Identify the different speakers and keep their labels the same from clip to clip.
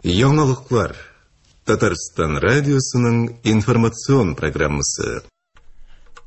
Speaker 1: Яңалыклар. Татарстан радиосының информацион программасы.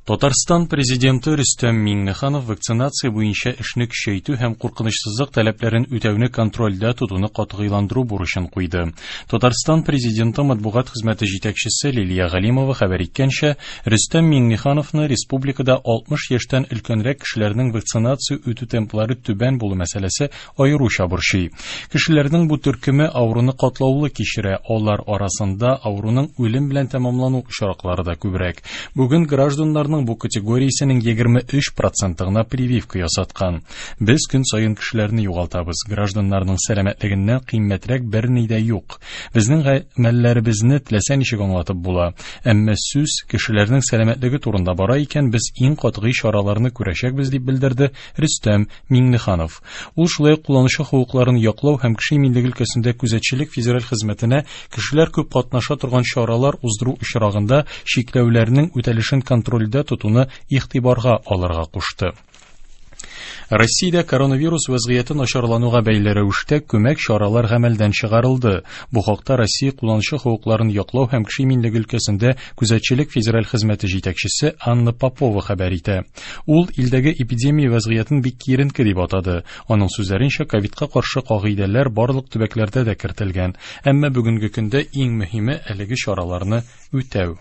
Speaker 2: Татарстан президенты Рөстәм Миңнеханов вакцинация буенча эшне көчәйтү һәм куркынычсызлык таләпләрен үтәүне контрольдә тотуны катгыйландыру бурычын куйды. Татарстан президенты матбугат хезмәте җитәкчесе Лилия Галимова хәбәр иткәнчә, Рөстәм Миңнехановны республикада 60 яшьтән өлкәнрәк кешеләрнең вакцинация үтү темплары түбән булу мәсьәләсе аеруча борчый. Кешеләрнең бу төркеме авыруны катлаулы кичерә, алар арасында авыруның үлем белән тәмамлану очраклары да күбрәк. Бүген гражданнарның бу категориясенең 23 проценты гына прививка ясаткан. Без көн саен кешеләрне югалтабыз. Гражданнарның сәламәтлегеннән кыйммәтрәк берни дә юк. Безнең гамәлләребезне теләсә ничек аңлатып була. Әмма сүз кешеләрнең сәламәтлеге турында бара икән, без иң катгый чараларны күрәчәкбез, дип белдерде Рөстәм Миңнеханов. Ул шулай ук кулланучы хокукларын яклау һәм кеше иминлеге өлкәсендә күзәтчелек федераль хезмәтенә кешеләр күп катнаша торган чаралар уздыру очрагында чикләүләрнең үтәлешен контрольдә тотуны игътибарга алырга кушты. Россиядә коронавирус вәзгыяте начарлануга бәйле рәвештә күмәк чаралар гамәлдән чыгарылды. Бу хакта Россия кулланучы хокукларын яклау һәм кеше иминлеге өлкәсендә күзәтчелек федераль хезмәте җитәкчесе Анна Попова хәбәр итә. Ул илдәге эпидемия вәзгыятен бик киеренке дип атады. Аның сүзләренчә, ковидка каршы кагыйдәләр барлык төбәкләрдә дә кертелгән. Әмма бүгенге көндә иң мөһиме әлеге чараларны үтәү.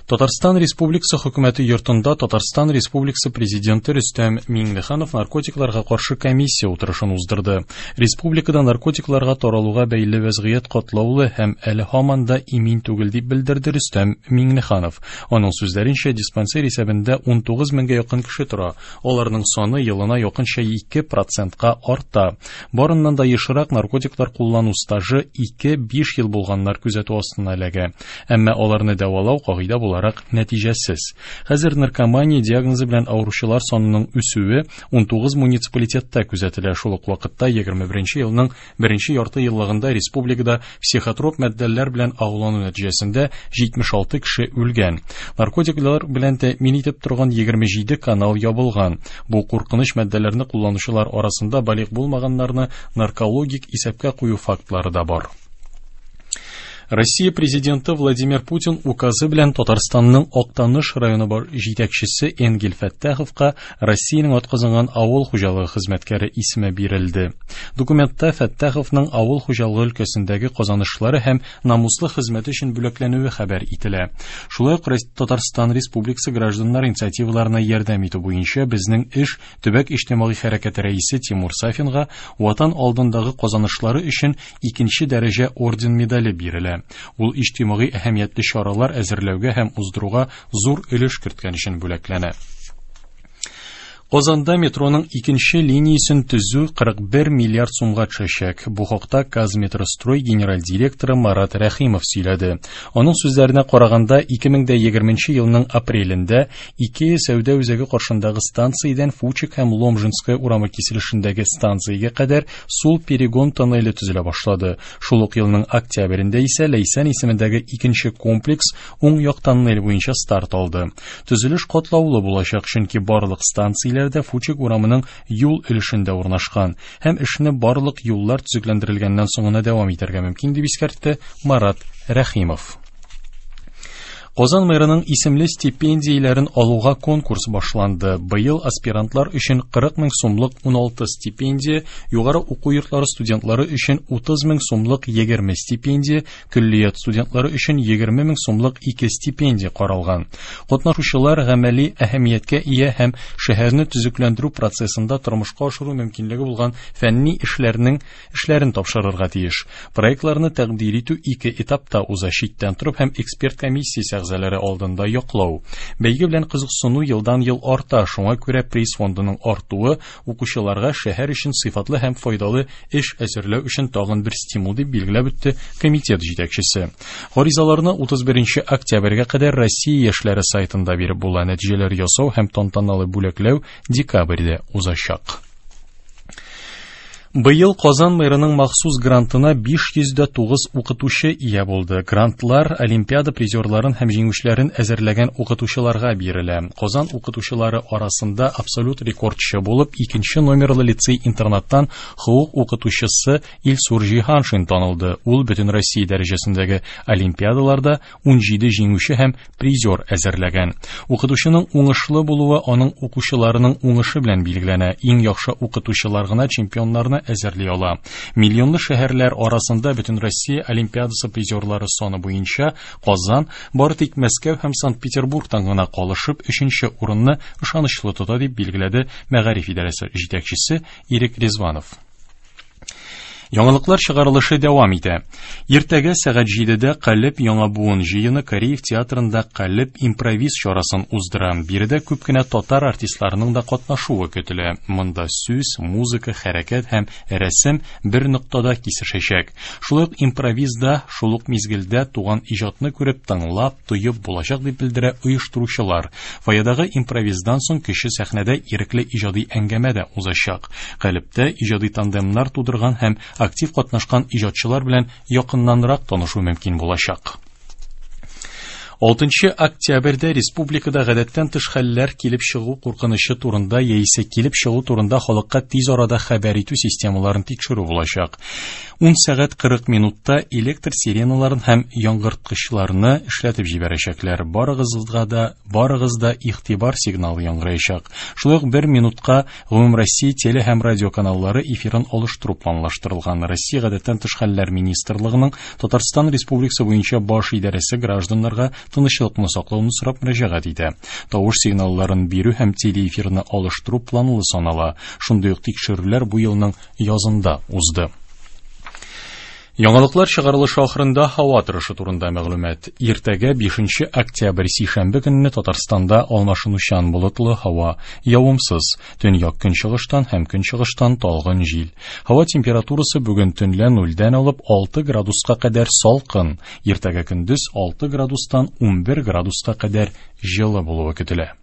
Speaker 2: Татарстан Республикасы Хөкүмәте йортында Татарстан Республикасы Президенты Рөстәм Миңнеханов наркотикларга каршы комиссия утырышын уздырды. Республикада наркотикларга таралуга бәйле вәзгыять катлаулы һәм әле һаман да имин түгел дип белдерде Рөстәм Миңнеханов. Аның сүзләренчә, диспансер исәбендә 19 меңгә якын кеше тора. Аларның саны елына якынча 2 процентка арта. Барыннан да ешрак наркотиклар куллану стажы 2-5 ел булганнар күзәтү астына эләгә. Әмма аларны дәвалау кагыйдә буларак нәтиҗәсез. Хәзер наркомания диагнозы белән авыручылар санының үсүе 19 муниципалитетта күзәтелә. Шул ук вакытта 21 елның беренче ярты еллыгында республикада психотроп матдәләр белән агулану нәтиҗәсендә 76 кеше үлгән. Наркотиклар белән тәэмин итеп торган 27 канал ябылган. Бу куркыныч матдәләрне кулланучылар арасында балигъ булмаганнарны наркологик исәпкә кую фактлары да бар. Россия президенты Владимир Путин указы белән Татарстанның Актаныш районы җитәкчесе Энгель Фәттаховка Россиянең атказанган авыл хуҗалыгы хезмәткәре исеме бирелде. Документта Фәттаховның авыл хуҗалыгы өлкәсендәге казанышлары һәм намуслы хезмәте өчен бүләкләнүе хәбәр ителә. Шулай ук Татарстан Республикасы гражданнар инициативаларына ярдәм итү буенча безнең эш төбәк иҗтимагый хәрәкәте рәисе Тимур Сафинга Ватан алдындагы казанышлары өчен икенче дәрәҗә орден медале бирелә. Ул иҗтимагый әһәмиятле чаралар әзерләүгә һәм уздыруга зур өлеш керткән өчен бүләкләнә. Казанда метроның икенче линиясен төзү 41 миллиард сумга төшәчәк. Бу хакта Казметрострой генераль директоры Марат Рәхимов сөйләде. Аның сүзләренә караганда, 2020 елның апрелендә Икея сәүдә үзәге каршындагы станциядән Фучик һәм Ломжинская урамы киселешендәге станциягә кадәр сул перегон тоннеле төзелә башлады. Шул ук елның октябрендә исә Ләйсән исемендәге икенче комплекс уң як тоннель буенча старт алды. Төзелеш катлаулы булачак, чөнки барлык станцияләр дә Фучик урамының юл өлешендә урнашкан һәм эшне барлык юллар төзекләндерелгәннән соң гына дәвам итәргә мөмкин, дип искәртте Марат Рәхимов. Казан мэрының исемле стипендияләрен алуга конкурс башланды. Быел аспирантлар өчен 40 мең сумлык 16 стипендия, югары уку йортлары студентлары өчен 30 мең сумлык 20 стипендия, Көллият студентлары өчен 20 мең сумлык ике стипендия каралган. Катнашучылар гамәли әһәмияткә ия һәм шәһәрне төзекләндерү процессында тормышка ашыру мөмкинлеге булган фәнни эшләрнең эшләрен тапшырырга тиеш. Проектларны тәкъдир итү ике этапта уза, читтән торып һәм эксперт комиссиясе әгъзалары алдында яклау. Бәйге белән кызыксыну елдан-ел арта, шуңа күрә приз фондының артуы укучыларга шәһәр өчен сыйфатлы һәм файдалы эш әзерләү өчен тагын бер стимул, дип билгеләп үтте комитет җитәкчесе. Гаризаларны 31 октябрьгә кадәр Россия яшьләре сайтында биреп була. Нәтиҗәләр ясау һәм тантаналы бүләкләү декабрьдә узачак. Быел Казан мэрының махсус грантына 509 укытучы ия булды. Грантлар олимпиада призерларын һәм җиңүчеләрен әзерләгән укытучыларга бирелә. Казан укытучылары арасында абсолют рекордчы булып икенче номерлы лицей-интернаттан хокук укытучысы Илсур Җиһаншин танылды. Ул бөтен Россия дәрәҗәсендәге олимпиадаларда 17 җиңүче һәм призер әзерләгән. Укытучының уңышлы булуы аның укучыларының уңышы белән билгеләнә. Иң яхшы укытучылар гына чемпионнарны әзерли ала. Миллионлы шәһәрләр арасында Бөтенроссия олимпиадасы призерлары саны буенча Казан бары тик Мәскәү һәм Санкт-Петербургтан гына калышып өченче урынны ышанычлы тота, дип билгеләде мәгариф идарәсе җитәкчесе Ирек Ризванов. Яңалыклар чыгарылышы дәвам итә. Иртәгә сәгать 7-дә Калеб яңа буын җыены Кариев театрында Калеб импровиз чарасын уздыра. Биредә күп кенә татар артистларының да катнашуы көтелә. Монда сүз, музыка, хәрәкәт һәм рәсем бер ноктада кисешәчәк. Шулай ук импровизда шул ук мизгелдә туган иҗатны күреп, тыңлап, тоеп булачак, дип белдерә оештыручылар. Фойедагы импровиздан соң кече сәхнәдә ирекле иҗади әңгәмә дә узачак. Калебтә иҗади тандемнар тудырган һәм актив катнашкан иҗатчылар белән якыннанрак танышу мөмкин булачак. 6 октябрьдә республикада гадәттән тыш хәлләр килеп чыгу куркынычы турында яисә килеп чыгу турында халыкка тиз арада хәбәр итү системаларын тикшерү булачак. 10 сәгать 40 минутта электр сиреналарын һәм яңгырткычларны эшләтеп җибәрәчәкләр. Барыгызга да, барыгыз да игътибар сигналы яңгыраячак. Шулай ук бер минутка Гомумроссия теле һәм радио каналлары эфирын алыштыру планлаштырылган. Россия гадәттән тыш хәлләр министрлыгының Татарстан Республикасы буенча баш идарәсе гражданнарга тынычлыкны саклауны сорап мөрәҗәгать итә. Тавыш сигналларын бирү һәм телеэфирны алыштыру планлы санала. Шундый ук тикшерүләр бу елның язында узды. Яңалыклар чыгарылышы ахырында һава торышы турында мәгълүмат. Иртәгә 5 октябрь сишәмбе көнне Татарстанда алмашынучан болытлы һава, явымсыз, төньяк көнчыгыштан һәм көнчыгыштан талгын җил. Һава температурасы бүген төнлә 0-дән алып 6 градуска кадәр салкын, иртәгә көндез 6 градустан 11 градуска кадәр җылы булуы көтелә.